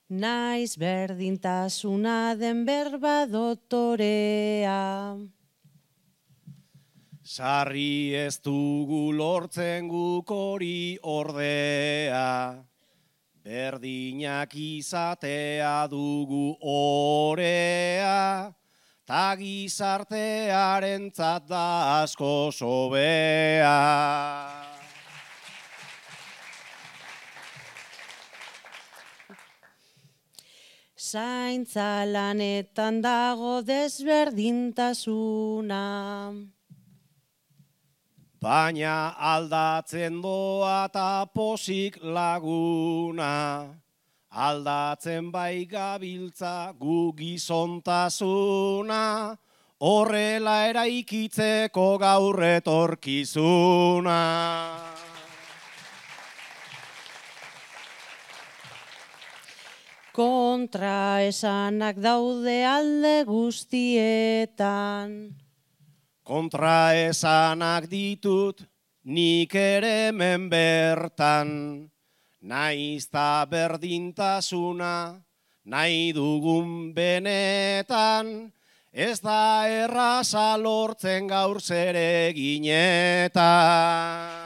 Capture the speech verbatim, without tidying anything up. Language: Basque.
Naiz berdintasuna den berba dotorea. Sarri ez dugu lortzen guk hori ordea, berdinak izatea dugu orea, ta gizartearentzat da asko sobea. Zaintza lanetan dago desberdintasuna. Baina aldatzen doa ta posik laguna, aldatzen bai gabiltza gu gizontasuna, horrela eraikitzeko gaur etorkizuna. Kontra esanak daude alde guztietan. Kontra esanak ditut nik ere hemen bertan, naiz ta berdintasuna nahi dugun benetan, ez da erraza lortzen gaur zereginetan.